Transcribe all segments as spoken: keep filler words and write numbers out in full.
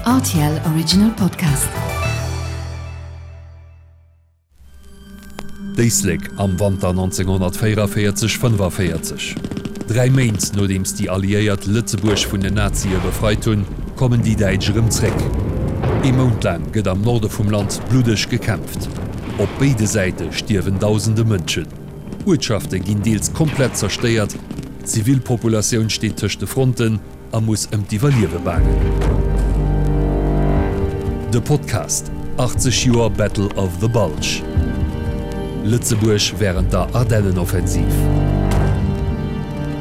R T L Original Podcast. D'Éislek am Wanter nonzénghonnertvéierenvéierzeg, fënnefaviertzeg. Dräi Méint nodeems déi Alliéiert Lëtzebuerg vun den Nazie befreit hunn, kommen déi Däitsch erëm zréck. Ee Mount laang gëtt am Norde vum Land bluddeg gekämpft. Op béide Säite stierwen dausende Mënschen. Uertschafte ginn deels komplett zerstéiert, d'Zivilpopulatioun steet tëscht de Fronten a muss ëm d'Iwwerliewe baangen. De Podcast, achtzeg Joer Battle of the Bulge. Lëtzebuerg wärend der Ardennenoffensiv.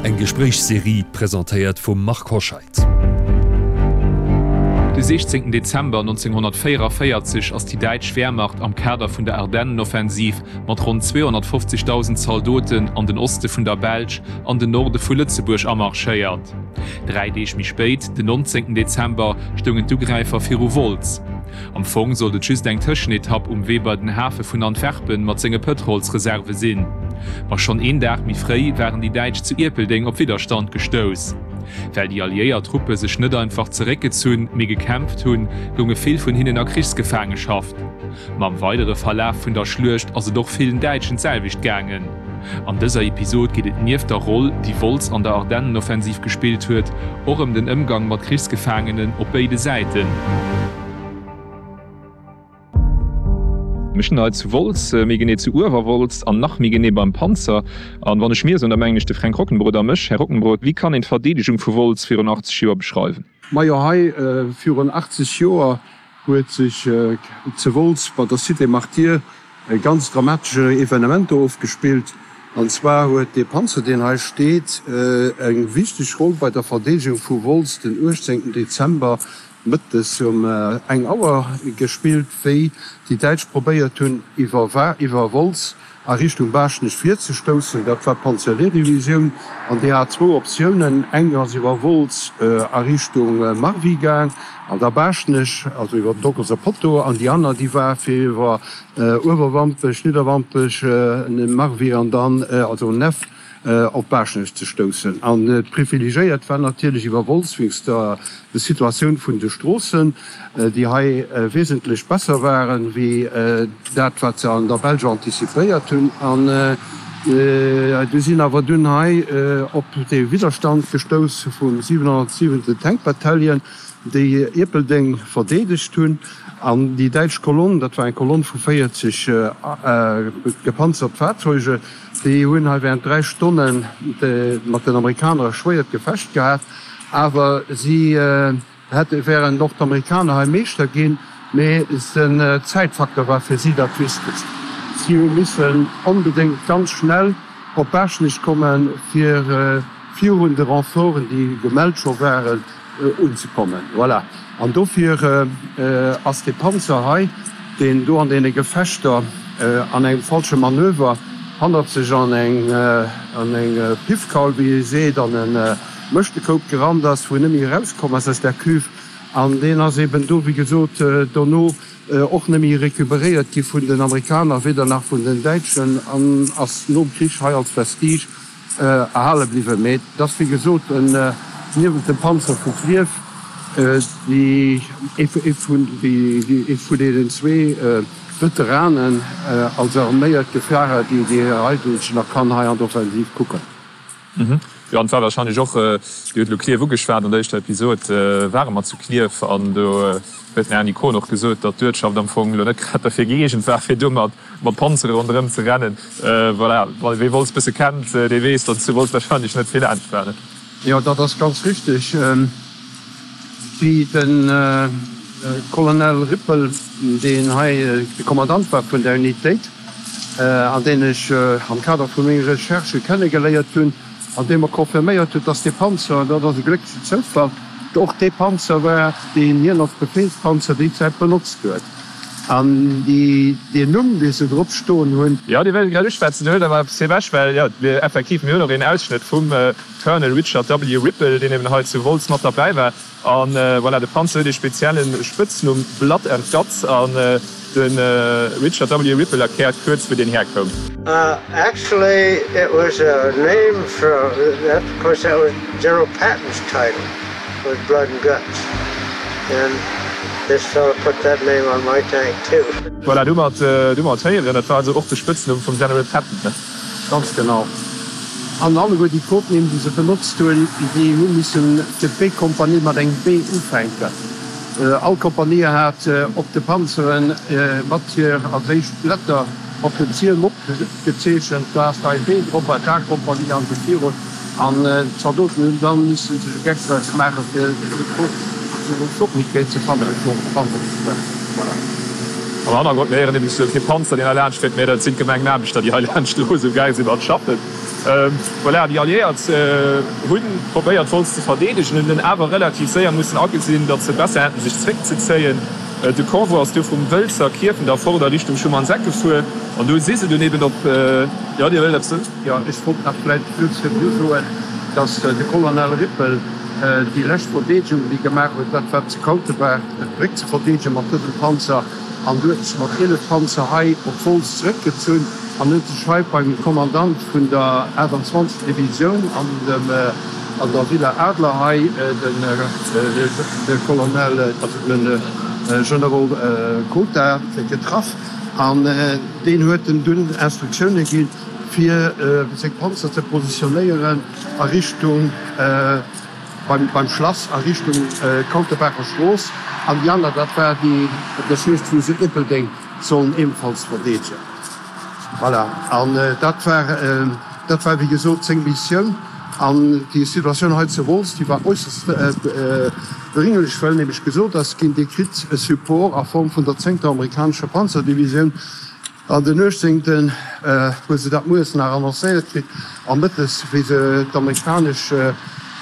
Eng Gespréichsserie presentéiert vum Marc Hoscheid. De siechzéngten Dezember nonzénghonnertvéierunvéierzeg ass déi däitsch Wehrmacht am Kader vun der Ardennenoffensiv mat ronn zweehonnertfofzegdausend Zaldoten an den Oste vun der Belsch an den Norde vu Lëtzebuerg amarschéiert. Dräi Deeg méi spéit, den nonzéngten Dezember, stoungen d'Ugräifer viru Wolz. Am Fong sollt et just eng Tëschenetapp um Wee bei den Hafe vun Antwerpen mat senge Pëtrolsreserve sinn. Ma schonn een Dag méi fréi waren déi Däitsch zu Ierpeldeng op Widderstand gestouss. Well déi alliéiert Truppe sech net einfach zeréckgezunn, mee gekämpft hunn, gounge vill vun hinnen a Krichsgefaangeschaft. Ma am weidere Verlaf vun der Schluecht ass et och villen Däitschen d'selwecht gaangen. An dëser Episod geet et nieft der Roll, déi Wolz an der Ardennenoffensiv gespillt huet, och ëm den Ëmgang mat Krichsgefaangenen op béide Säiten. Mir stinn hei zu Wolz, méi genee zu Uewerwolz an nach méi genee beim Panzer. An wann ech mir soen, da mengen ech de Fränk Rockenbrod a mech. Här Rockenbrod, wéi kann een d'Verdeedegung vu Wolz virun achtzeg Joer beschreiwen? Majo, hei virun achtzeg Joer huet sech zu Wolz bei der Cité Martyrs e ganz dramatesche Evenement do ofgespillt. An zwar huet dee Panzer, deen hei steet, eng wichteg Roll bei der Verdeedegung vu Wolz den uechtzéngten Dezember mëttes um eng Auer gespillt, wéi déi Däitsch probéiert hunn, iwwer Wolz a Richtung Baaschtnech virzestoussen. Dat war d'Panzerlehrdivisioun an déi hat zwou Optiounen, Eng ass iwwer Wolz a Richtung Marvy gaang an da Baaschtnech, also iwwer den Dockelser Potto, an déi aner, déi war fir iwwer Uewerwampech, Nidderwampech, Marvy an dann, also Neff, op Baaschtnech ze stoussen. An privilegiéiert war natierlech iwwer Wolz wéinst der Situatioun vun de Stroossen, déi hei wesentlech besser waren, wéi dat, wat se an der Belsch antizipéiert hunn. An du sinn awer dunn hei op dee Widderstand gestouss vum siwenhonnertsiwenten Tank Battalion, déi Ierpeldeng verdeedegt hunn. An déi däitsch Kolonn, dat war eng Kolonn vu véierzeg gepanzert Fahrzeuge, Déi hunn hei während dräi Stonne mat den Amerikaner e schwéiert Gefecht gehat, awer si hätte wären och d'Amerikaner hei Meeschter ginn, mee den Zäitfaktor war fir si dat Wichtegst. Si hu missen onbedéngt ganz schnell op Baaschtnech kommen, fir virun de Renforten, déi gemellt scho waren, unzekommen. Voilà. An dofir ass dee Panzer hei, deen do an deene Gefechter an engem falsche Manöver hannert sech an eng an eng Piffkaul, wéi ee seet, an e Mëschtekoup gerannt ass, wou en net méi erauskomm ass aus där Cuve. An deen ass eben do, wéi gesot, dono och net méi recuperéiert gi vun den Amerikaner, weder nach vun den Däitschen, an ass nom Krich hei als Vestige erhale bliwwen. Mee et ass, wéi gesot, niewent dem Panzer vu Klierf ee vun deenen zwee Veteranen als arméiert Gefärer, déi déi eigentlech nach kann hei an d'Offensiv kucken. Jo, an et war wahrscheinlech och, Dir hutt elo Klierf ugeschwat, an der éischter Episod ware mer zu Klierf an do huet den Erny Kohn och gesot, datt d'Uertschaft am Fong elo net grad derfir gëeegent war, fir do mat Panzere ronderëm ze rennen. Voilà, wee Wolz bësse kennt, dee weess, datt zu Wolz wahrscheinlech net vill anescht war. Jo, dat ass ganz richtig. Wéi de Colonel Rippel, deen hei de Kommandant war vun der Unitéit, an deen ech am Kader vu menge Recherchë kennegeléiert hunn, an dee mer confirméiert huet, dass dee Panzer, an dat ass e glécklechen Zoufall, och dee Panzer war, deen hien als Befehlspanzer déi Zäit benotzt huet. An deen Numm, dee se drop stoen hunn. Jo, dee wéilt ech grad uschwätzen. Do huet awer eppes ewech, well jo, mir effektiv, mir hunn och een Ausschnëtt vum Colonel Richard W. Ripple, deen eben hei zu Wolz mat derbäi war. An voilà, de Panzer huet ee spezielle Spëtznumm, Blood and Guts. An de Richard W. Ripple erkläert kuerz, wou deen herkoum. Actually it was a name for, of course that was General Patton's title, was Blood and Guts. And This fellow put that name on my tank too. Voilà, domat hu mer et héieren. Dat war also och de Spëtznumm vum General Patton, ne? Ganz genau. An alleguer déi Codenames, déi se benotzt hunn, déi hu missen fir d'B-Kompanie mat engem B ufänken. All Kompanie hat op de Panzere mat hir als éischt Letter op den Ziel opgezeechent, do ass hei B drop, bei d'A-Kompanie an esou virun. An d'Zaldoten hunn dann missen sech e Geck draus maachen, fir d'Schockwéi ze fannen. Voilà. Am Hannergrond, mir héieren nämlech esou kee Panzer, deen hei laanscht fiert, mä dat sinn d'Gemengenaarbechter, déi hei laanscht elo esou gaang sinn mat schaffen. Voilà, déi Alliéiert hu probéiert, Wolz ze verdeedegen, hunn dunn awer relativ séier mussen agesinn, datt se besser hätten, sech zréckzezéien. De Convoi ass du vum Wëlzer Kierfent a fort a Richtung Schumannseck gefuer an do si se dunn eben op, jo, Dir wëllt eppes soen? Jo, ech wollt nach vläicht just virdru soen, dass de Colonel Rippel déi lescht Verdeedegung, déi gemaach huet, dat war zu Kautebaach, d'Bréck ze verdeedegen mat dësem Panzer. An du huet sech mat ielef Panzer hei op Wolz zeréckgezunn an huet sech hei beim Kommandant vun der achtundzwanzeg. Divisioun an dem, an der Villa Adler hei, de Colonel, also de Generol Cotard getraff an deen huet em dunn Instruktioune ginn, fir seng Panzer ze positionéieren a Richtung beim Schlass, a Richtung Kautebacher Strooss an déi aner, dat war déi der Schluecht vu Ierpeldeng, sollen ebenfalls verdeedegen. Voilà, an dat war, dat war wéi gesot seng Missioun. An déi Situatioun hei zu Wolz, déi war äusserst drénglech, well nämlech gesot ass ginn, Dir kritt e Support a Form vun der zéngter amerikanescher Panzerdivisioun. An den uechtzéngten hu se dat mueres nach annoncéiert kritt a mëttes, wéi se d'amerikanesch,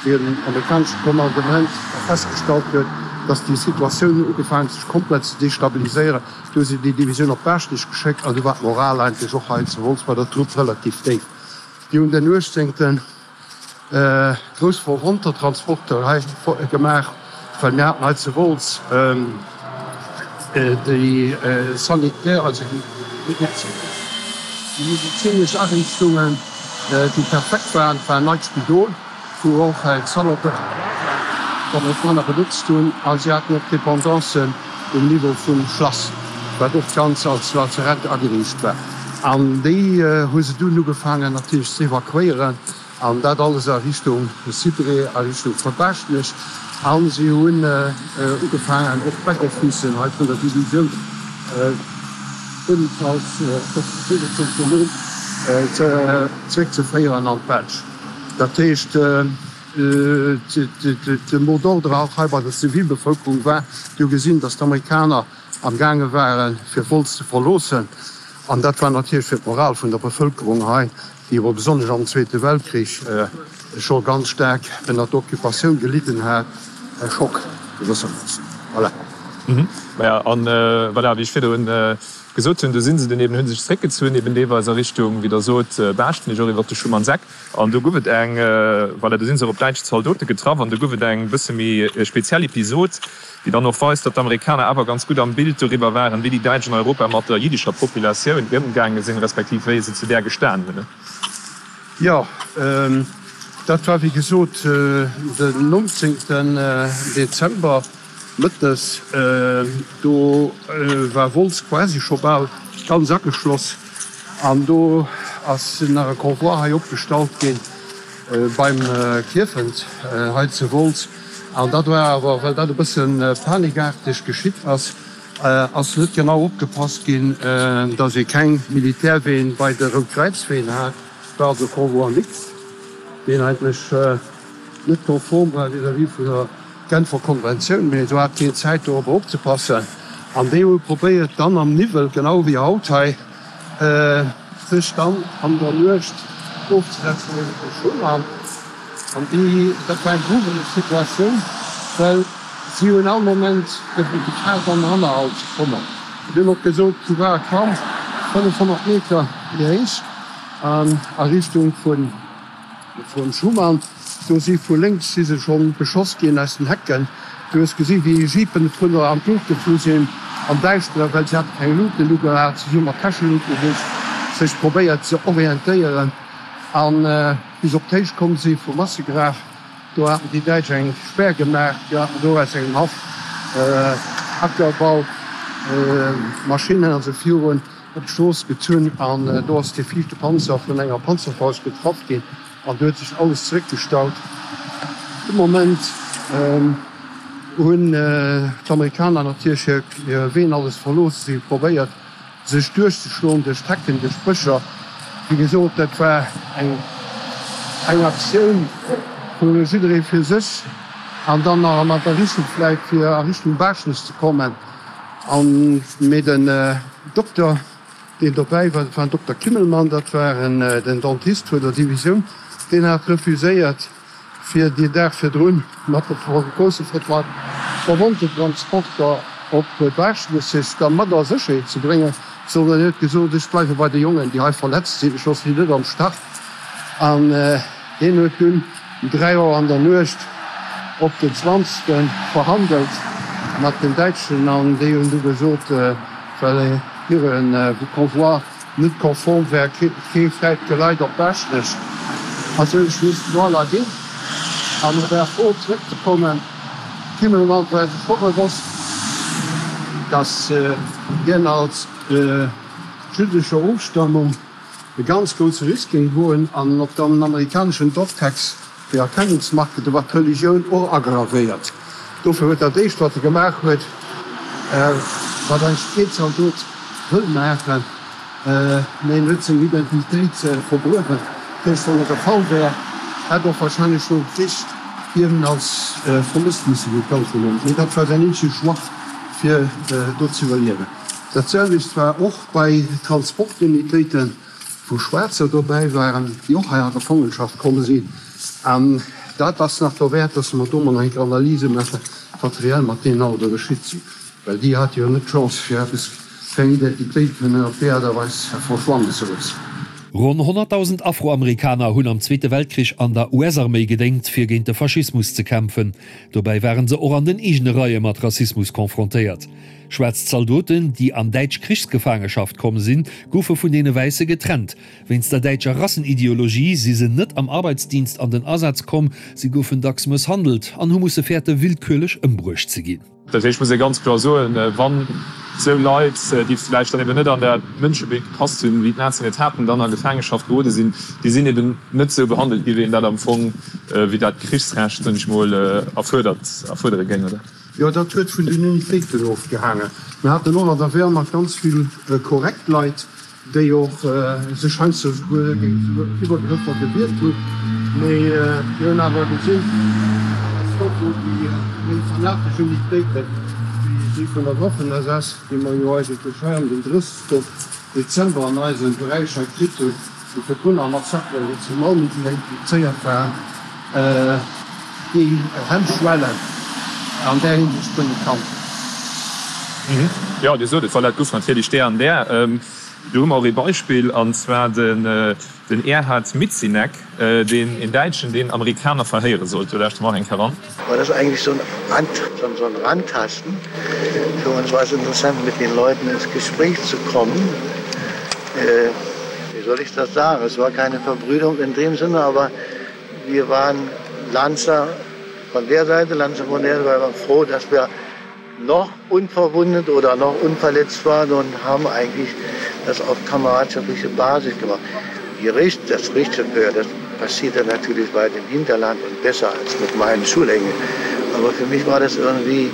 wéi den amerikanesche Kommandement festgestallt huet, datt déi Situatioun ugefaangen huet sech komplett ze destabiliséieren, du hu se déi Divisioun op Baaschtnech geschéckt an du war d'Moral eigentlech och hei zu Wolz bei der Trupp relativ déif. Déi hunn den uechtzéngten grouss Verwonntertransporter hei gemaach, well mir haten hei zu Wolz déi sanitär, also déi medezinesch Ariichtungen, déi perfekt waren. Et war en neit Spidol, wou och d'Zaldoten d'Amerikaner benotzt hunn, a si haten och Dependancen um Niveau vum Schlass, wat och ganz als Lazarett ageriicht war. An déi hu se dunn ugefaangen natierlech ze evakuéieren, an dat alles a Richtung Cyprès, a Richtung von Baaschtnech. A si hunn ugefaangen och d'Back-Officen hei vun der Divisioun ebenfalls zeréckzeféieren an d'Belsch. Dat heescht, de Mot d'ordre och hei bei der Zivilbevëlkerung war, déi hu gesinn, datt d'Amerikaner am gaange waren, fir Wolz ze verloossen. An dat war natierlech fir d'Moral vun der Bevëlkerung hei, déi awer besonnesch am Zweete Weltkrich scho ganz staark ënner der Occupatioun gelidden hat, e Schock gewëssermoossen. Voilà. Maja, an voilà, wéi ech virdrun gesot hunn, do si se dunn eben, hu sech zréckgezunn, eben deelweis a Richtung, wéi Der sot, Baaschtnech, och iwwert de Schumannseck. An do gouf et eng, voilà, do si se och op däitsch Zaldote getraff an do gouf et eng bësse méi speziell Episod, déi dann och weist, datt d'Amerikaner awer ganz gutt am Bild doriwwer waren, wéi déi Däitsch an Europa mat der jiddescher Populatioun ëmgaange sinn, respektiv wéi se zu där gestan hunn. Jo, dat war wéi gesot den nonzéngten Dezember mëttes. Do war Wolz quasi scho bal ganz ageschloss an do ass nach e Convoi hei opgestallt ginn beim Kierfent hei zu Wolz. An dat war awer, well dat e bësse panikaarteg geschitt ass, ass net genau opgepasst ginn, datt ee keng Militärween bei de Rout-Kräiz-Ween hat. Et war also e Convoi mixte, deen eigentlech net konform war vis-à-vis vun der Genfer Konventioun, mee do hat keen Zäit dorobber opzepassen. An déi hu probéiert dann am Niwwel, genau wéi haut hei, sech dann an der Nuecht ofzesetzen iwwer de Schuman. An déi, dat war eng grujeleg Situatioun, well si hunn all Moment gefaart an den Hannerhalt ze kommen. Mir hunn och gesot, du war kaum fënnefhonnert Meter méi héich a Richtung vun Schuman. Do si vu lénks si se scho beschoss ginn aus den Hecken. Du hues gesi wéi Jeepen vun der an d'Luucht geflu sinn am Däischteren, well si hate keng Luuten ugehat. Si hu mat Täscheluute sech probéiert ze orientéieren. An bis op d'Héicht komm si vum Massegraf, do haten déi Däitsch eng Spär gemaach, déi haten do aus engem Haff Ackerbaumaschinnen, also virun op d'Strooss gezunn an do ass dee viischte Panzer vun enger Panzerfaust getraff ginn an do huet sech alles zeréckgestaut. De Moment hunn d'Amerikaner natierlech hir Ween alles verlooss, si hu probéiert sech duerchzeschloen duerch d'Hecken, duerch d'Bëscher. Wéi gesot, dat war eng eng Aktioun vu jidderee fir sech an dann nach mat der Richtung vläicht fir a Richtung Baaschtnech ze kommen. An mee den Dokter, deen dobäi war, dat war den Dokter Kimmelmann, dat war den Dentist vun der Divisioun, deen hat refuséiert, fir deen Dag virdrun mat de grousse Verwonntentransporter op Baaschtnech sech da mat a Sécherheet ze bréngen, sondern en huet gesot, Ech bleiwe bei de Jongen, déi hei verletzt sinn, ech loosse si net am Stach. An hien huet dunn um dräi Auer an der Nuecht op den zwanzegste verhandelt mat den Däitschen an déi hunn du gesot, well hire Convoi net konform wär, kee fräit Geleit op Baaschtnech, also hunn ech missen voilà ginn an e war frou zréckzekommen. D'Himmelmann war sech scho bewosst, datt hien als jüddescher Ofstammung e ganz grousse Risk géing goen an op den amerikaneschen Dogtags fir Erkennungsmarke, do war d'Religioun och agravéiert. Dofir huet dat éischt wat e gemaach huet, wat eigentlech keen Zaldot wëll maachen, mee en huet seng Identitéit vergruewen. Dat heescht, wann e gefall wär, hätt och wahrscheinlech nom Krich hien als vermësst misse gekallt hunn. Mee dat war säin eenzege Choix fir do ze iwwerliewen. Dat selwecht war och bei Transportunitéiten, wou Schwaarzer dobäi waren, déi och hei a Gefangenschaft komm sinn. An dat ass nach derwäert, dass mer do mol eng Analyse maachen, wat reell mat deenen all do geschitt sinn, well déi hate jo net d'Chance, fir eppes, fir eng Identitéit kënnen op déi Aart a Weis verschwannen ze loossen. Ronn honnertdausend Afroamerikaner hunn am Zweete Weltkrich an der U S-Arméi gedéngt, fir géint de Faschismus ze kämpfen. Dobäi ware se och an den eegene Reie mat Rassismus confrontéiert. Schwaarz Zaldoten, déi an däitsch Krichsgefaangeschaft komm sinn, goufe vun deene Wäisse getrennt. Wéinst der däitscher Rassenideologie si se net am Arbeitsdienst an den Asaz komm, si goufen dacks mësshandelt an hu musse fäerte willkürlech ëmbruecht ze ginn. Dat heescht, muss ee ganz kloer soen, wann esou Leit, déi vläicht dann eben net an dat Mënschebild gepasst hunn, wéi d'Nazien et haten, dann a Gefaangeschaft gerode sinn, déi sinn eben net esou behandelt gi wéi een dat am Fong, wéi dat d'Krichsrecht, soen ech mol, erfuerdert, erfuerdere géing, oder? Jo, dat huet vun den Unitéiten ofgehaangen. Mir haten och an der Wehrmacht ganz vill korrekt Leit, déi och sech heiansdo souguer géint Iwwergrëffer gewiert hunn. Mee mir hunn awer gesinn, dass do wou déi méi fanatesch Unitéiten, wéi déi vun der Waffen-S S, déi mer jo eigentlech hei am den drëssegsten Dezember an eise Beräich hei kritt hunn, déi virdrun am Massakere wéi zu Malmedy implizéiert waren, déi Hemmschwellen an där Hinsicht kënne kannt. Jo, Dir sot et, voilà, et goufen natierlech där an där. Do hu mer och ee Beispill, an zwar den Erhard Mitzinek, deen een Däitschen, deen Amerikaner verhéiere sollt. Do lauschte mer och eng Kéier eran. War das eigentlich so ein Rand, so ein Randtasten? Für uns war es interessant, mit den Leuten ins Gespräch zu kommen. Äh, wie soll ich das sagen? Es war keine Verbrüderung in dem Sinne, aber wir waren Lanzer von der Seite, Lanzer von der Seite, wir waren froh, dass wir noch unverwundet oder noch unverletzt waren und haben eigentlich das auf kameradschaftliche Basis gemacht. Die Richt, das Richterhör, das passierte natürlich weit im Hinterland und besser als mit meinen Schulengeln. Aber für mich war das irgendwie,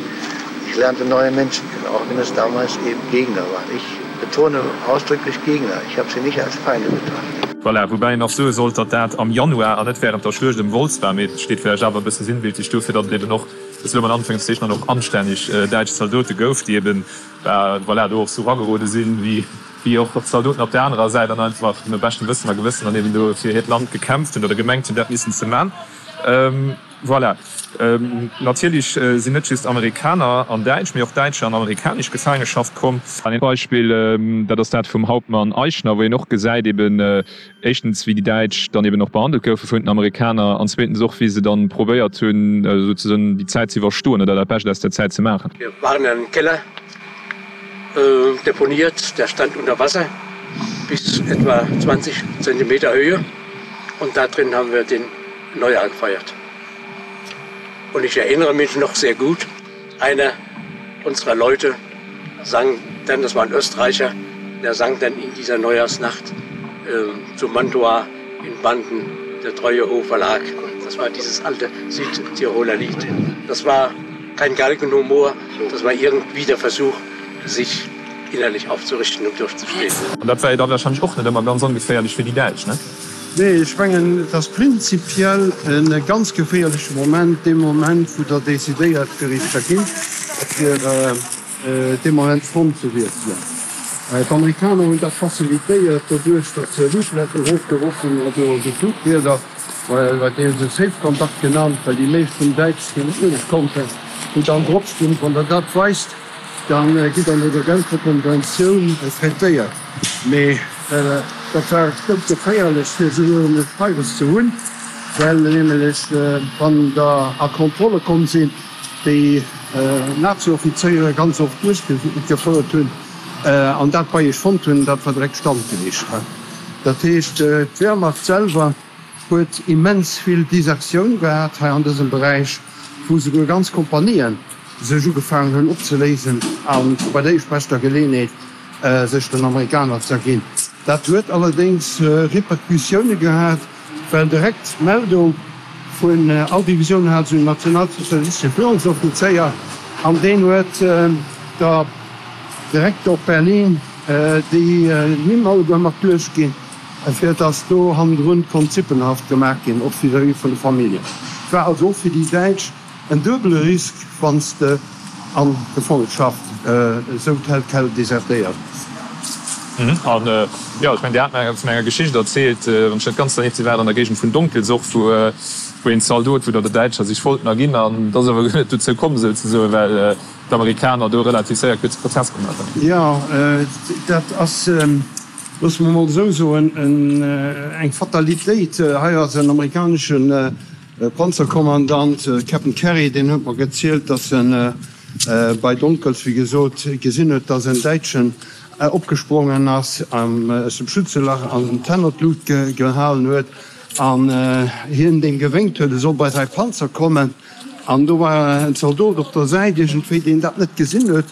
ich lernte neue Menschen kennen, auch wenn es damals eben Gegner waren. Ich betone ausdrücklich Gegner, ich habe sie nicht als Feinde betrachtet. Voilà, woubäi een nach soe sollt, datt dat am Januar an net wärend der Schluecht ëm Wolz war, mee et steet vläicht awer e bësse sinnbildlech dofir, datt et eben och, ech soe mol an Anführungszeichen, dann och anstänneg däitsch Zaldote gouf, déi eben, voilà, do och sou ragerode sinn, wéi wéi och d'Zaldoten op där anerer Säit an einfach no beschtem Wëssen a Gewëssen dann eben do fir hiert Land gekämpft hunn oder gemengt hunn, dat missen ze man. Voilà. Natierlech sinn net just Amerikaner an däitsch, mee och däitsch an amerikanesch Gefaangeschaft komm. An een Beispill, dat ass dat vum Hauptmann Eichner, wou een och gesäit eben éischtens, wéi déi Däitsch dann eben och behandelt goufe vun den Amerikaner an zweetens och, wéi se dann probéiert hunn, souzesoen déi Zäit ze iwwerstoen oder dat Bescht aus der Zäit ze maachen. Wir waren in einem Keller äh, deponiert, der stand unter Wasser bis etwa zwanzig Zentimeter Höhe und da drin haben wir den Neujahr gefeiert. Und ich erinnere mich noch sehr gut, einer unserer Leute sang dann, das war ein Österreicher, der sang dann in dieser Neujahrsnacht äh, zu Mantua in Banden der treue Hofer lag. Das war dieses alte Südtiroler Lied. Das war kein Galgenhumor, das war irgendwie der Versuch, sich innerlich aufzurichten und durchzustehen. An dat war jo da wahrscheinlech och net ëmmer ganz ongeféierlech fir déi Däitsch, ne? Nee, ech mengen, et ass prinzipiell e ganz geféierleche Moment, dee Moment, wou Der decidéiert, fir Iech z'erginn, fir dee Moment d'Front ze wiesselen. D'Amerikaner hunn dat facilitéiert doduerch, datt se Leafleten erofgeworf hunn, also esou Flugblieder, wat déi hu se Safe Contact genannt, well déi meescht vun den Däitschen déi net uewe konnten, wou dann drop stoung, Wann Der dat weist, da gitt Der no der Genfer Konventioun traitéiert. Mee dat war dout geféierlech, fir esou e Schreiwes ze hunn, well nämlech, wann der a Kontrolle komm sinn, déi Nazi-Offizéiere ganz oft duerchgefouert hunn an dat bei iech fonnt hunn, dat war direkt standgeleecht. Dat heescht, d'Wehrmacht selwer huet immens vill Desertioun gehat hei an dësem Beräich, wou souguer ganz Kompanien sech ugefaangen hunn opzeléisen a bei der éischtbeschter Geleeënheet sech den Amerikaner z'erginn. Dat huet allerdéngs Repercussioune gehat, well direkt d'Meldung vun all Divisioun hat esou en nationalsozialistesche Führungsoffizéier an deen huet da direkt op Berlin déi Nimm alleguer mat duerchginn, fir datt do hannendrun konnt Sippenhaft gemaach ginn, och vis-à-vis vun de Familljen. Et war also och fir déi Däitsch en duebele Risk, wann s de an Gefangenschaft esou tel quel desertéiert. An jo, ech mengen, Dir hat mer vun enger Geschicht erzielt, wann ech net ganz danierft sinn, war et an der Géigend vun Donkels och, wou wou een Zaldot, wou der der Däitscher sech wollten erginn, an et ass awer guer net dozou komm souzesoen, well d'Amerikaner do relativ séier kuerze Prozess gemaach hunn. Jo, dat ass, loosse mer emol esou soen, eng Fatalitéit. Hei ass en amerikanesche Panzerkommandant, Captain Kerry, deen huet mer gezielt, datt en bei Donkels, wéi gesot, gesinn huet, datt en Däitschen opgesprongen ass aus dem Schützelach an d'Hänn an d'Lut gehalen huet an hien deem gewénkt huet, e soll bei säi Panzer kommen. An do war en Zaldot op der Säit iergendwéi, deen dat net gesinn huet.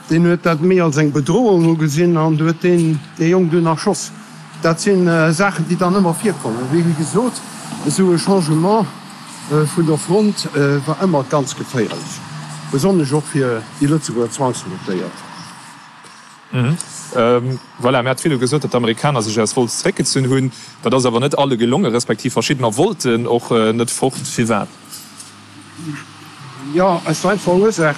Deen huet dat méi als eng Bedrohung ugesinn an huet deen dee Jong dunn erschoss. Dat si Saachen, déi dann ëmmer virkommen. Wéi gesot, esou e Changement vun der Front war ëmmer ganz geféierlech, besonnesch och fir déi Lëtzebuerger Zwangsrekrutéiert. Voilà, mir hat virdu gesot, datt d'Amerikaner sech aus Wolz zeréckgezunn hunn. Dat ass awer net alle gelongen, respektiv verschiddener wollten och net fort. Firwat? Jo, aus der einfacher Ursaach,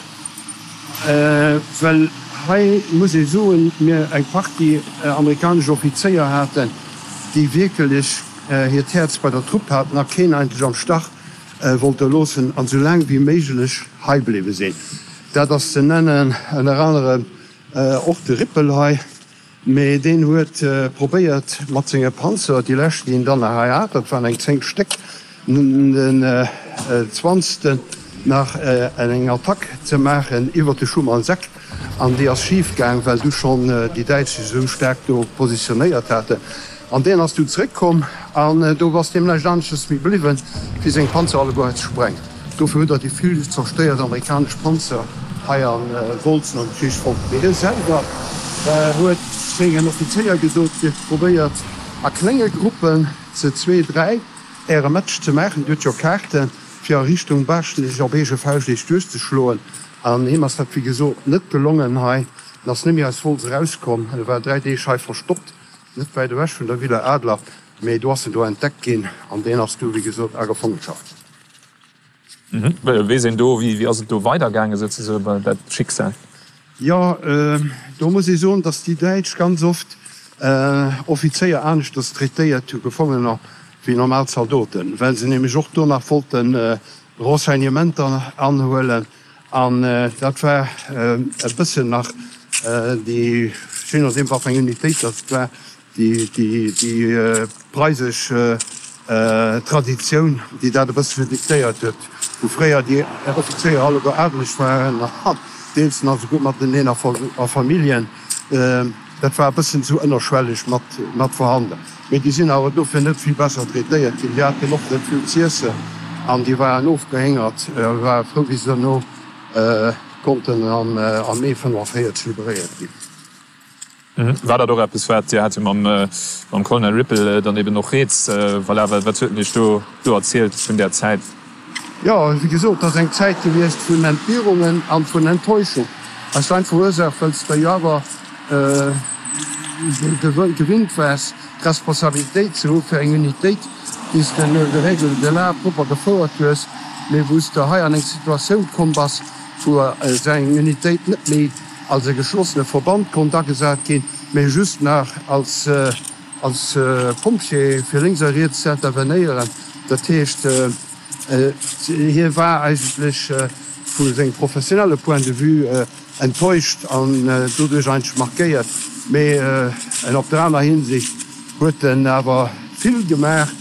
well hei muss ee soen, mir eng Partie amerikanesch Offizéier haten, déi wierkelech hiert Häerz bei der Trupp haten a keen eigentlech am Stach wollte loossen an esou laang wéi méiglech hei bliwwe sinn. Dat ass ze nennen ënner anerem och de Rippel hei. Mee deen huet probéiert mat senge Panzer, déi lescht déi en dann nach hei hat, dat waren eng zéng Stéck, den zwanzegsten nach eng Attack ze maachen iwwer de Schumanseck an déi ass schif gaang, well du schonn déi Däitsch sech esou staark do positionéiert haten. An deen ass du zeréckkomm an do ass deem näischt aneschters méi bliwwen, wéi seng Panzer alleguer hei ze sprengen. Dofir huet der déi vill zerstéiert amerikanesch Panzer hei a Wolz nom Krich fonnt. Mee hie selwer huet sengen Offizéier gesot, Dir probéiert a klenge Gruppen, ze zwee, dräi, Äre Match ze maachen. Dir hutt jo Kaarten, fir a Richtung Baaschtnech op eege Fauscht Iech duerchzeschloen. An him ass dat, wéi gesot, net gelongen hei. En ass net méi aus Wolz erauskomm. E war dräi Deeg hei verstoppt, net wäit ewech vun der Villa Adler. Mee do ass en do entdeckt ginn an deen ass du, wéi gesot, a Gefangenschaft. Weess een do, wéi ass et do weidergaangen, souzesoen, dat Schicksal? Jo, do muss ee soen, datt déi Däitsch ganz oft Offizéier aneschters traitéiert hu, Gefongener, wéi normal Zaldoten, well se nämlech och do nach wollte Renseignementer anhuelen. An dat war e bëssen nach déi, je nodeem wat fir eng Unitéit dat war, déi preisesch Traditioun, déi dat e bëssche diktéiert huet, wou fréier déi Offizéier alleguer adeleg waren an deels nach esouguer mateneen a Familljen. Dat war e bëssen esou ënnerschwelleg mat vorhanden. Mee déi sinn awer dofir net vill besser traitéiert ginn. Déi haten och net vill z'iessen an déi waren ofgehéngert, ware frou, wéi se derno konnten am Mee fënnenvéierzeg liberéiert ginn. War dat och eppes, wat, Dir hat jo mam Colonel Ripple dann eben och rieds, voilà, wat huet en Iech do erzielt vun där Zäit? Jo, wéi gesot, et ass eng Zäit gewiescht vun Entbierungen a vun Enttäuschung. Aus der einfacher Ursaach, well s de jo awer gewinnt waars, d'Responsabilitéit ze hu fir eng Unitéit, déi s de no de Règles de l'art propper gefouert hues, mee wou s de hei an eng Situatioun komm bass, wou esou eng Unitéit net méi als e geschlossene Verband konnt agesat ginn, mee just nach als als Pompjee fir lénks a riets ze intervenéieren. Dat heescht, hie war eigentlech vu sengem professionelle Point de vue enttäuscht an doduerch eigentlech markéiert. Mee en op der aner Hinsicht huet en awer vill gemaach,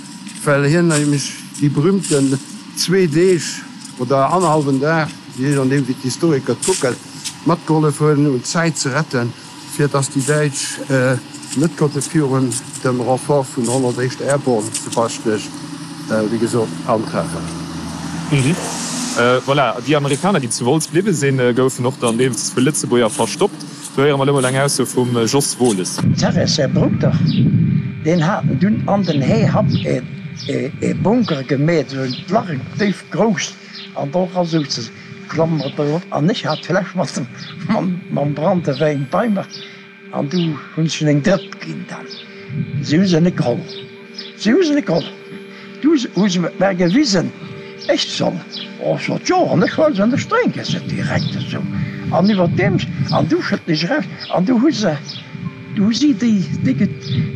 well hien nämlech déi berühmten zwee Deeg oder annerhallwen Dag, je nodeem wéi d'Historiker et kucken, matgehollef hunn un Zäit ze retten, fir datt déi Däitsch net konnte virun dem Renfort vun der honnertéischt Airborne zu Baaschtnech, wéi gesot, antreffen. Voilà, déi Amerikaner, déi zu Wolz bliwwe sinn, goufen och dann deels vu Lëtzebuerger verstoppt. Do héiere mer elo mol eng Ausso vum Jos Wohles. D'Serres säi Brudder, deen haten dunn an den Heehapp ee Bunker gemeet, esou en Lach, en déif grousst, an do era souze se. Klammere drop, an ech hat d'Fläsch mat dem mam Branntewäin bei mer, an du hunn ech en eng Drëpp ginn dann. Si hu se net geholl, si hu se net geholl. Du hu se mer gewisen, ech soll, oh, ech sot, jo, an ech huele se an ech drénke se direkt esou. An iwwerdeems, an du schëdden ech eraus, an du hu se, du hu si déi, déi,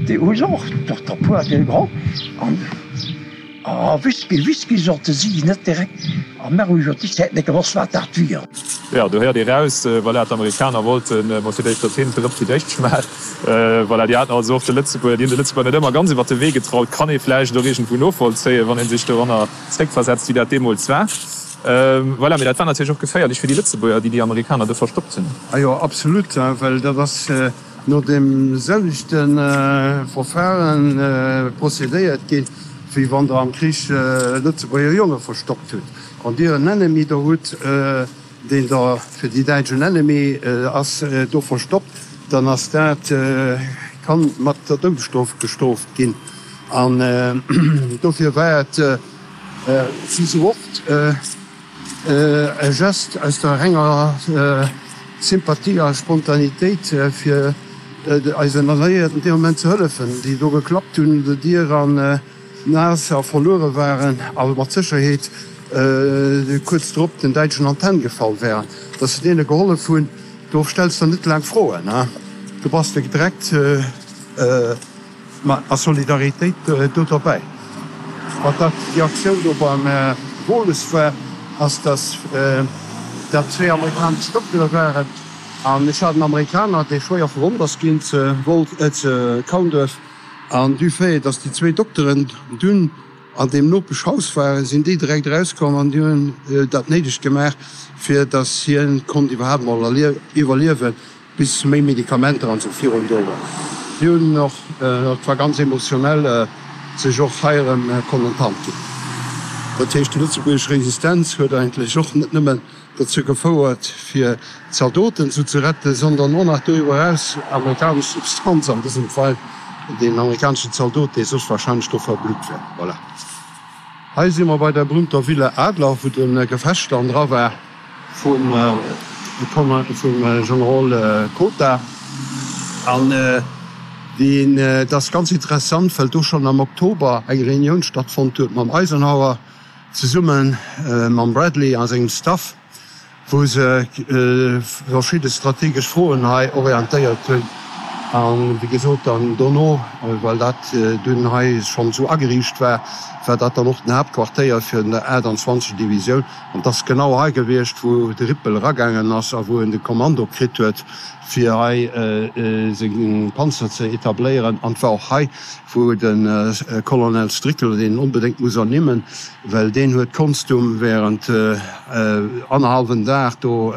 déi hu se och doch der puer geholl, an ah, Whisky, Whisky sote si net direkt, a mer hu jo déi Zäit net gewosst, wat dat wier. Jo, do héiert ee raus, voilà, d'Amerikaner wollten mol fir d'éischt, datt hien d'Drëpp fir d'éischt schmaacht. Voilà, déi haten also och de Lëtzebuerger, déi hunn de Lëtzebuerger net ëmmer ganz iwwer de Wee getraut. Kann ee vläicht och iergendwou novollzéien, wann ee sech doranner zréckversetzt, wéi dat deemools war. Voilà, mee dat war natierlech och geféierlech fir déi Lëtzebuerger, déi déi Amerikaner do verstoppt hunn. A jo, absolut, well dat ass no deem selwechte Verfaren procédéiert ginn, wéi wann Der am Krich Lëtzebuerger Jonge verstoppt hutt. Wann Dir en Ennemi do hutt, deen da fir déi Däitsch en Ennemi ass, do verstoppt, dann ass dat, kann mat der Doudesstrof bestrooft ginn. An dofir war et wéi sou oft e Geste aus der renger Sympathie a Spontanitéit, fir eisen Alliéierten dee Moment ze hëllefen, déi do geklappt hunn un der Dier an naass a verluere waren a mat Sécherheet kuerz drop den Däitschen an d'Hänn gefall wären, datt se deene gehollef hunn. Do stells de net laang Froen, do bass de direkt a Solidaritéit do derbäi. Wat dat déi Aktioun do beim Wohles war, ass, datt dat zwee amerikanesch Doktere waren an ech hat en Amerikaner, dee schwéier verwonnt ass ginn ze Kaunduerf. An du fait, dass déi zwéi Dokteren dunn an deem Nopeschhaus waren, sinn déi direkt erauskomm an déi hunn dat Néidegt gemaach, fir dass hien konnt iwwerhaapt mol iwwerliewen, bis méi Medikamenter an esou virun do waren. Si hunn och, dat war ganz emotionell, sech och hei erëm konnen d'Hand ginn. Dat heescht, déi lëtzebuergesch Resistenz huet eigentlech och net nëmmen dozou gefouert fir d'Zaldoten esou ze retten, sondern och nach doriwwer eraus amerikanesch Substanz, an dësem Fall deen amerikaneschen Zaldot, dee soss wahrscheinlech do verblutt wär. Voilà. Hei si mer bei der berühmter Villa Adler, wou de Gefecht dann dra war vum Generol Kota. An deen, dat ass ganz interessant, well do schonn am Oktober eng Reunioun stattfonnt huet mam Eisenhower, Zesumme mam Bradley a sengem Staff, wou se verschidde strategesch Froen hei orientéiert hunn. A wéi gesot dann dono, well dat dunn hei schonn esou ageriicht war, war dat dann och den Haaptquartéier fir der aachtanzwanzeg. Divisioun. An et ass genau hei gewiescht, wou de Rippel eragaangen ass a wou en de Kommando kritt huet, fir hei seng Panzer ze etabléieren. An et war och hei, wou de Colonel Strickler, deen een onbedéngt muss ernimmen, well deen huet d'Konstum während annerhallwen Dag do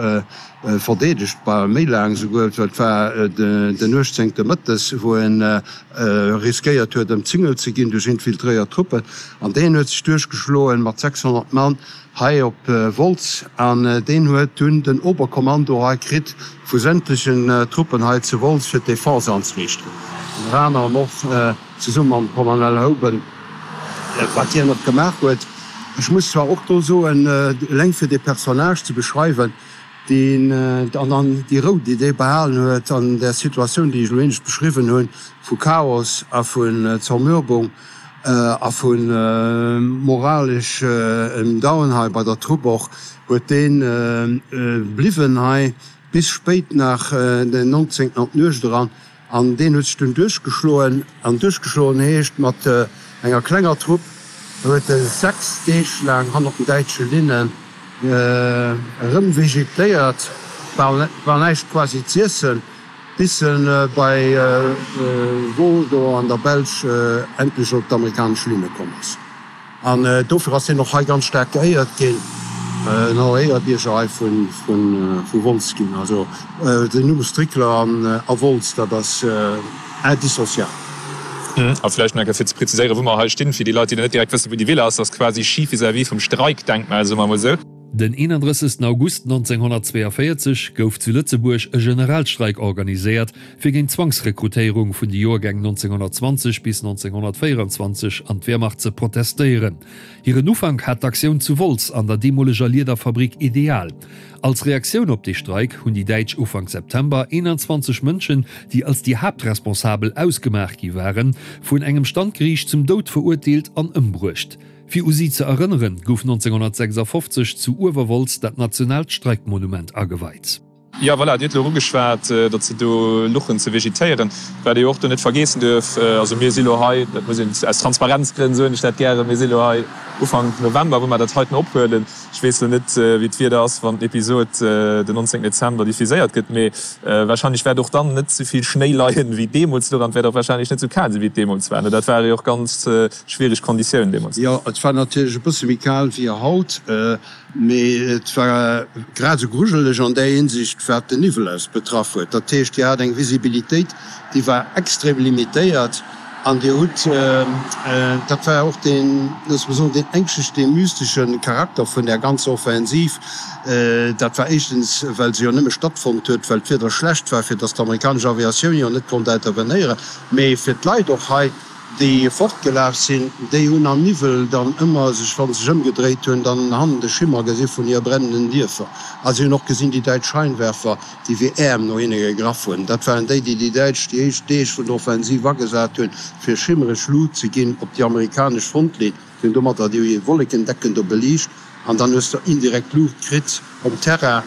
verdeedegt, bal méi laang esouguer, well et war den uechtzéngte mëttes, wou en riskéiert huet ëmzingelt ze ginn duerch infiltréiert Truppen. An deen huet sech duerchgeschloen mat sechshonnert Mann hei op Wolz an deen huet dunn den Oberkommando hei kritt vu sämtlechen Truppen hei zu Wolz fir d'Defense anzeriichten. Ënner anerem och zesumme mam Colonel Houben, wat hien och gemaach huet. Ech muss zwar och do soen, eleng fir dee Personnage ze beschreiwen, deen an dann déi Rou, déi dee behalen huet an där Situatioun, déi ech elo éinescht beschriwwen hunn, vu Chaos a vun Zermürbung a vu moralesch em Down hei bei der Trupp och, huet dee bliwwen hei bis spéit nach den nonzéngten an d'Nuecht eran. An deen huet sech dunn duerchgeschloen. An duerchgeschloen heescht, mat enger klenger Trupp huet e sechs Deeg laang hannert den däitsche Linnen erëmvegetéiert, war war näischt quasi z'iessen, bis e bei Wol do an der Belsch endlech op d'amerikanesch Linne komm ass. An dofir ass hien och hei ganz staark geéiert ginn, en Éierebierger hei vu Wolz ginn. Also den Numm Strickler a Wolz, dat ass indissociabel. A vläicht nach eng Kéier fir ze preziséieren, wou mer hei stinn, fir déi Leit, déi net direkt wëssen, wou déi Villa ass, ass quasi schif vis-à-vis vum Streikdenkmal, soe mer emol esou. Den eenandrëssegsten August nonzénghonnertzweeënvéierzeg gouf zu Lëtzebuerg e Generalstreik organiséiert, fir géint d'Zwangsrekrutéierung vun de Joergäng nonzénghonnertzwanzeg bis nonzénghonnertvéierenzwanzeg an d'Wehrmacht ze protestéieren. Hiren Ufank hat d'Aktioun zu Wolz an der deemoleger Liederfabrik Ideal. Als Reaktioun op dee Streik hunn déi Däitsch Ufank September eenanzwanzeg Mënschen, déi als déi Haaptresponsabel ausgemaach gi waren, vun engem Standgeriicht zum Doud verurteelt an ëmbruecht. Fir u si ze erënneren, gouf nonzénghonnertsechsafofzeg zu Uewerwolz dat nationaalt Streikmonument ageweit. Jo, voilà, Dir hutt elo ugeschwat, datt se do luchen ze vegetéieren. Wat ee jo och do net vergeessen duerf, also mir si lo hei, dat muss een aus Transparenzgrënn soen ech dat gären, mir si lo hei Ufank November, wou mer dat heiten ophuelen. Ech weess lo net, wéi d'Wieder ass, wann d'Episod den nonzéngten Dezember diffuséiert gëtt, mee wahrscheinlech wäert och dann net esou vill Schnéi leien, wéi deemools do an et wäert och wahrscheinlech net esou kal sinn, wéi et deemools war. Dat ware jo och ganz schwiereg Konditiounen deemools. Jo, et war natierlech e bësse méi kal wéi haut. Mee et war grad esou grujeleg an där Hinsicht, wat den Niwwel aus betraff huet. Dat heescht, Dir hat eng Visibilitéit, déi war extrem limitéiert an Dir hutt, dat war och deen, loosse mer soen, deen ängschtlechen, dee mystesche Charakter vun där ganzer Offensiv. Dat war éischtens, well se jo nëmme stattfonnt huet, well d'Wieder schlecht war, fir datt d'amerikanesch Aviatioun jo net konnt intervenéieren, mee fir d'Leit och hei, Déi fortgelaf sinn, déi hunn am Niwwel dann ëmmer sech, wa se sech ëmgedréit hunn, dann hannen de Schimmer gesi vun hir brennenden Dierfer. A si hunn och gesinn déi däitsch Scheinwerfer, déi wéi Äerm no hinne gegraff hunn. Dat waren déi, déi déi Däitsch déi éischt Deeg vun der Offensiv agesat hunn, fir schimmereg Lut ze ginn op déi amerikanesch Frontlinn. Si hunn domatter déi Wollekendecken do beliicht. An dann hues de indirekt Luucht kritt um Terrain.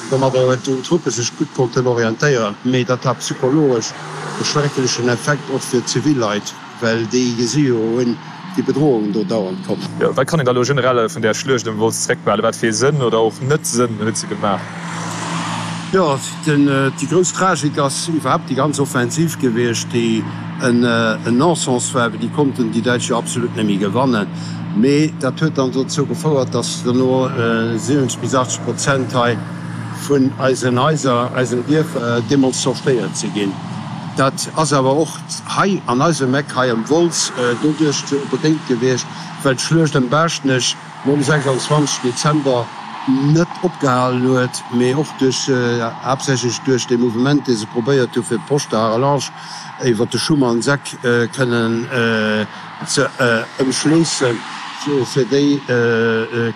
Domadder huet hunn d'Truppe sech gutt konnten orientéieren. Mee dat hat psychologesch e schrecklechen Effekt och fir d'zivil Leit, well déi gesi jo hunn déi Bedrohung do dauernd kommen. Jo, wat kann een da lo generell vun där Schluecht ëm Wolz zréckbehalen? Wat fir ee Sënn oder och net-Sënn huet se gemaach? Jo, déi grouss Tragik ass iwwerhaapt déi ganz Offensiv gewiescht, déi en Non-sens war, well déi konnten déi Däitsch jo absolut net méi gewannen. Mee dat huet dann dozou gefouert, datt dono siwwenzeg bis achtzeg Prozent hei vun eisen Haiser, eisen Dierfer deemools zerstéiert si ginn. Dat ass awer och hei an eisem Eck, hei ëm Wolz, doduerch bedéngt gewiescht, well d'Schluecht ëm Baaschtnech nom sechsanzwanzeg Dezember net opgehalen huet, mee och duerch, haaptsächlech duerch dee Mouvement, dee se probéiert hu fir d'Poste de Harellange iwwer de Schumann-Seck kënnen ze ëmschléissen, fir déi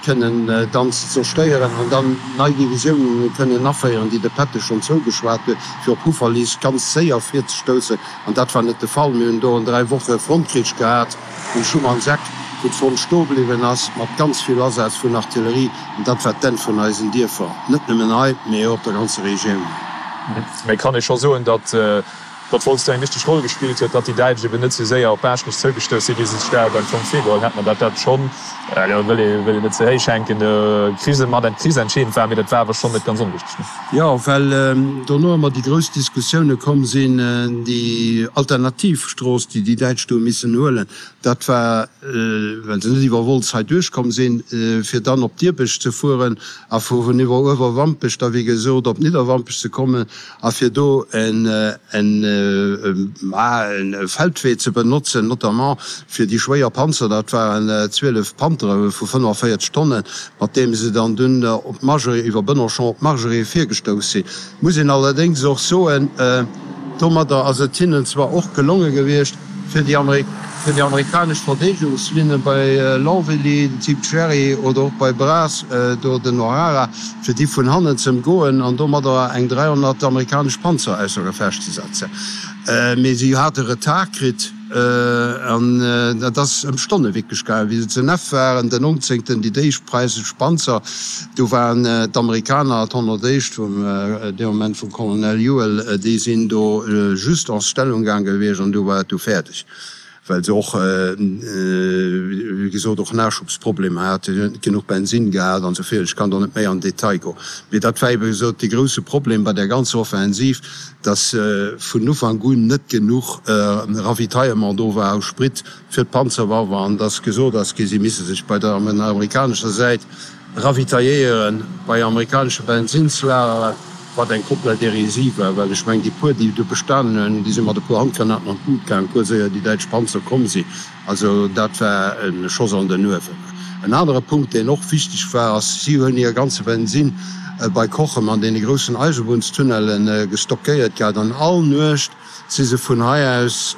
kënnen dann ze zerstéieren an dann nei Divisiounen kënnen aféieren, déi de Patton schonn zougeschwat huet, fir op Houffalize ganz séier virzestoussen. An dat war net de Fall. Mir hunn do en dräi Woche Frontkrich gehat. Um Schumann-Seck, wou d'Front stoe bliwwen ass, mat ganz vill Asaz vun Artillerie, an dat war d'Enn vun eisen Dierfer, net nëmmen hei, mee och op der ganzer Regioun. Mee kann ee scho soen, datt datt Wolz do eng wichteg Roll gespillt huet, datt déi Däitsch eben net sou séier op Baaschtnech zougestouss sinn, wéi se sech dat am Fong virgeholl hätten, an datt dat schonn, elo wëll ee wëll een net ze héich hänken, Krise mat eng krisentscheedend war, mee dat war awer schonn net ganz onwichteg. Jo, well dono ëmmer déi grouss Diskussioune komm sinn, déi Alternativstrooss, déi déi Däitsch do hu missen huelen, dat war, well se net iwwer Wolz hei duerchkomm sinn, fir dann op Dirbech ze fueren a vun iwwer Uewerwampech da wéi gesot op Nidderwampech ze kommen a fir do en Feldwee ze benotzen, notamment fir déi schwéier Panzer, dat waren zwielef Panthere vu fënnefenvéierzeg Tonnen, mat deem se dann dunn op d'Margerée, iwwer Bënnerschong op d'Margerée virgestouss sinn. Muss een allerdéngs och soen, domadder ass et hinnen zwar och gelonge gewiescht, fir déi amerikanesch Verdeedegungslinne bei Longvilly, den Typ Cherry, oder och bei Bras, do den O'Hara, fir déi vun hannen ze ëmgoen an domadder eng dräihonnert amerikanesch Panzer ausser Gefecht ze setzen. Mee si hate Retard kritt an et ass ëm Stonne wierklech gaangen, wéi se zu Neff waren, den nonzéngten, déi éischt preisech Panzer, do waren d'Amerikaner, d'honnertéischt vum dee Moment vum Colonel Ewell, déi sinn do just en Stellung gaang gewiescht an du war et du fäerdeg, well se och, wéi gesot, och Nachschubsproblemer haten, si hunn net genuch Bensinn gehat an esou virun. Ech kann do net méi an den Detail goen, mee dat war ebe gesot dee grouse Problem bei där ganzer Offensiv, dass vun Ufank un net genuch Ravitaillement do war u Sprit fir d'Panzerwaffer an dass gesot ass gi, si misse sech bei der amerikanescher Säit ravitailléiere bei amerikanesche Bensinnslageren, wat eng komplett Hérésie war, well ech mengen, déi puer, déi do bestanen hunn, déi si mat e puer Handgranaten an d'Lut gaangen, kuerz éier déi däitsch Panzer komm sinn. Also dat war e Schoss an den Uewen. En anere Punkt, deen och wichteg war, ass, si hunn hir ganze Bensinn bei Cochem an deene groussen Eisebunnstunnelle gestockéiert gehat an all Nuecht si se vun hei aus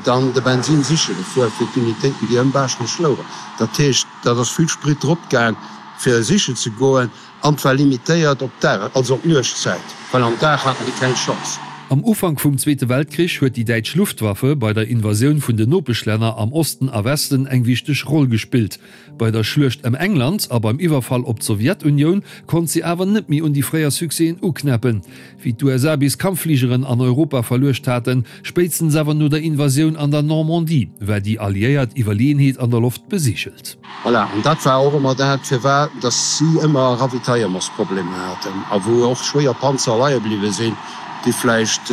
dann de Bensinn siche gefuer fir d'Unitéiten, déi ëm Baaschtnech louchen. Dat heescht, dat ass vill Sprit drop gaang, fir sichen ze goen an 't war limitéiert op d'Dag, also op d'Nuechtzäit, well am Dag haten déi keng Chance. Am Ufank vum Zweete Weltkrich huet déi däitsch Luftwaffe bei der Invasioun vun den Nopeschlänner am Osten a Westen eng wichteg Roll gespillt. Bei der Schluecht ëm England a beim Iwwerfall op d'Sowjetunioun konnt si awer net méi un déi fréier Succèsen uknäppen. Wéi d'U S A bis Kampffligeren an Europa verluecht haten, spéitstens awer no der Invasioun an der Normandie, war déi alliéiert Iwwerleeënheet an der Loft besigelt. Voilà, an dat war och ëmmer dat, firwat dass si ëmmer Ravitaillementsproblemer haten a wou och schwéier Panzer leie bliwwe sinn, déi vläicht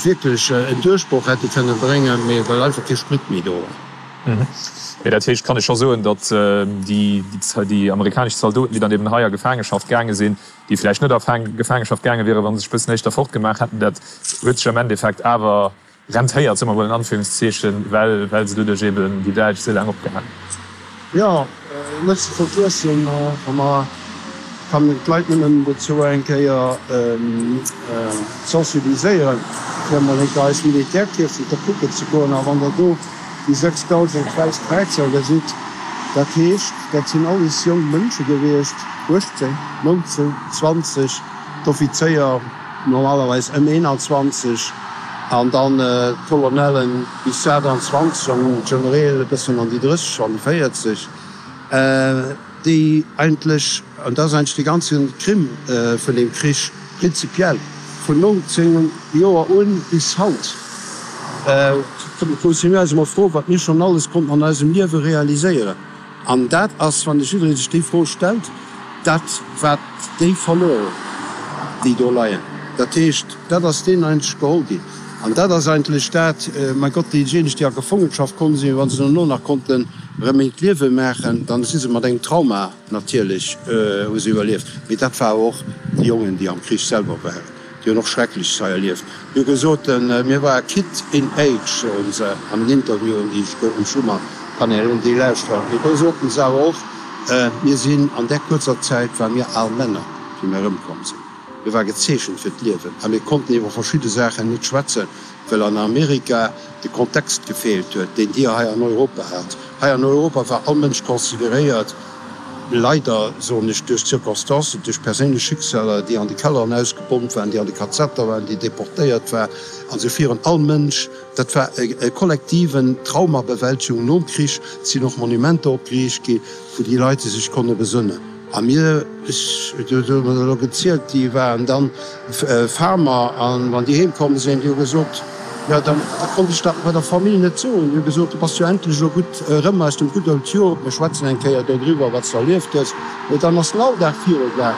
wierklech en Duerchbroch hätte kënne bréngen, mee well einfach kee Sprit méi do war. Mee dat heescht, kann ech scho soen, datt déi amerikanesch Zaldoten, déi dann eben hei a Gefaangeschaft gaange sinn, déi vläicht net a Gefaangeschaft gaange wieren, wa se sech e bëssen éischter fortgemaach hätten, dat huet sech am Endeffekt awer rentéiert, soe mer mol in Anführungszeechen, well well se doduerch eben déi Däitsch esou laang opgehalen hunn. Jo, net ze vergiessen, wa mer, kann een d'Leit nëmmen dozou eng Kéier sensibiliséieren, fir emol eng Kéier eis Militärkierfechter kucken ze goen. A wann Der do déi sechsdausend wäiss Kräizer gesitt, dat heescht, dat sinn alles jonk Mënsche gewiescht, uechtzéng, nonzéng, zwanzeg, d'Offizéier normalerweis ëm eenanzwanzeg an dann d'Colonellen bis aachtanzwanzeg an d'Genereel e bëssen an déi drësseg, an déi véierzeg. Déi eigentlech, an dat ass eigentlech dee ganze Crime vun deem Krich prinzipiell, vun nonzéng Joer un bis haut, musse mir eis emol froen, wat mir schonn alles konnten an eisem Liewe realiséieren. An dat ass, wann jidderee sech déi Fro stellt, dat wat déi verluer hunn, déi do leien. Dat heescht, dat ass deenen eigentlech geholl ginn. An dat ass eigentlech dat, mäi Gott, déijéineg, déi a Gefongenschaft komm sinn, wa se dono nach konnten erëm eent Liewe maachen, dann si se mat engem Trauma natierlech, hu se iwwerlieft. Mee dat war och déi Jongen, déi am Krich selwer waren, déi hunn och Schreckleches hei erlieft. Déi hu gesot, mir ware kid in age, soen se an den Interviewen, déi ech um Schuman kann een déi lauschteren. Mee do soten se awer och, mir sinn an där kuerzer Zäit ware mir al Männer, wéi mir erëmkomm sinn. Mir ware gezeechent fir d'Liewen a mir konnten iwwer verschidde Saachen net schwätzen, well an Amerika de Kontext gefeelt huet, deen Dir hei an Europa hat. Hei an Europa war all Mënsch consideréiert, leider soen ech, duerch d'Circonstancen, duerch perséinlech Schicksaler, déi an de Kelleren ausgebommt waren, déi an de Kazetter waren, déi deportéiert waren an esou virun. All Mënsch, dat war e kollektiven Traumabewältigung nom Krich. Et sinn och Monumenter opgeriicht ginn, wou déi Leit sech konne besënnen. A mir, ech, do hu mer elo gezielt, déi waren dann Farmer an wann déi heem komm sinn, déi hu gesot, jo da konnt ech dat bei der Famill net soen, déi hu gesot, du bass jo endlech elo gutt erëm aus dem Good Old Europe, mir schwätzen eng Kéier dodriwwer, wat s de erlieft hues. Mee dann ass den Alldag virugaang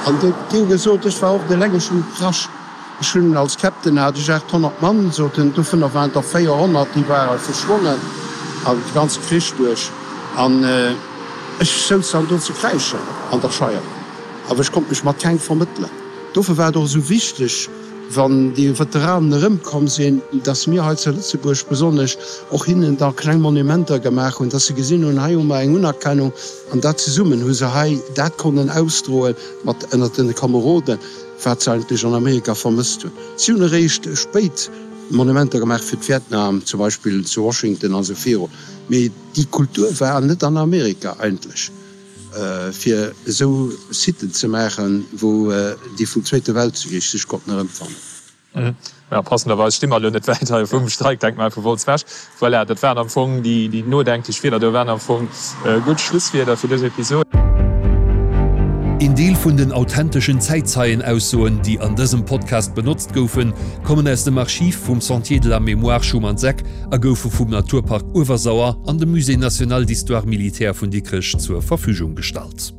an déi hu gesot, ech war oft eleng, ech hunn gekrasch. Ech hunn als Captain hat ech achthonnert Mann, sot en, dovunner waren der véierhonnert, déi ware verschwonnen an de ganze Krich duerch. An ech souz dann do ze kräischen an der Scheier, awer ech konnt mech mat kengem vermëttelen. Dofir war et och esou wichteg, wann déi Veteranen erëmkomm sinn, dass mir hei zu Lëtzebuerg besonnesch och hinnen da kleng Monumenter gemaach hunn, dass se gesinn hunn, hei hu mer eng Unerkennung. An dat zesummen hu se hei dat konnen ausdroen mat ënnert den Kameroden. Wat se eigentlech an Amerika vermësst hunn. Si hunn eréischt spéit Monumenter gemaach fir d'Vietnam, zum Beispill zu Washington a sou viru. Mee déi Kultur war net an Amerika eigentlech, fir esou Siten ze maachen, wou déi vum Zweete Weltkrich sech konnten erëmfannen. Ja, passenderweis sti mer elo net wäit hei vum Streikdenkmal vu Wolz ewech. Voilà, dat waren am Fong déi nodenklech Wierder. Do waren am Fong gutt Schlusswierder fir dës Episod. Een Deel vun den authenteschen Zäitzeienaussoen, déi an dësem Podcast benotzt goufen, kommen aus dem Archiv vum Sentier de la Mémoire Schumann-Seck a goufe vum Naturpark Uewersauer an dem Musée national d'histoire militaire vun Dikrech zur Verfügung gestallt.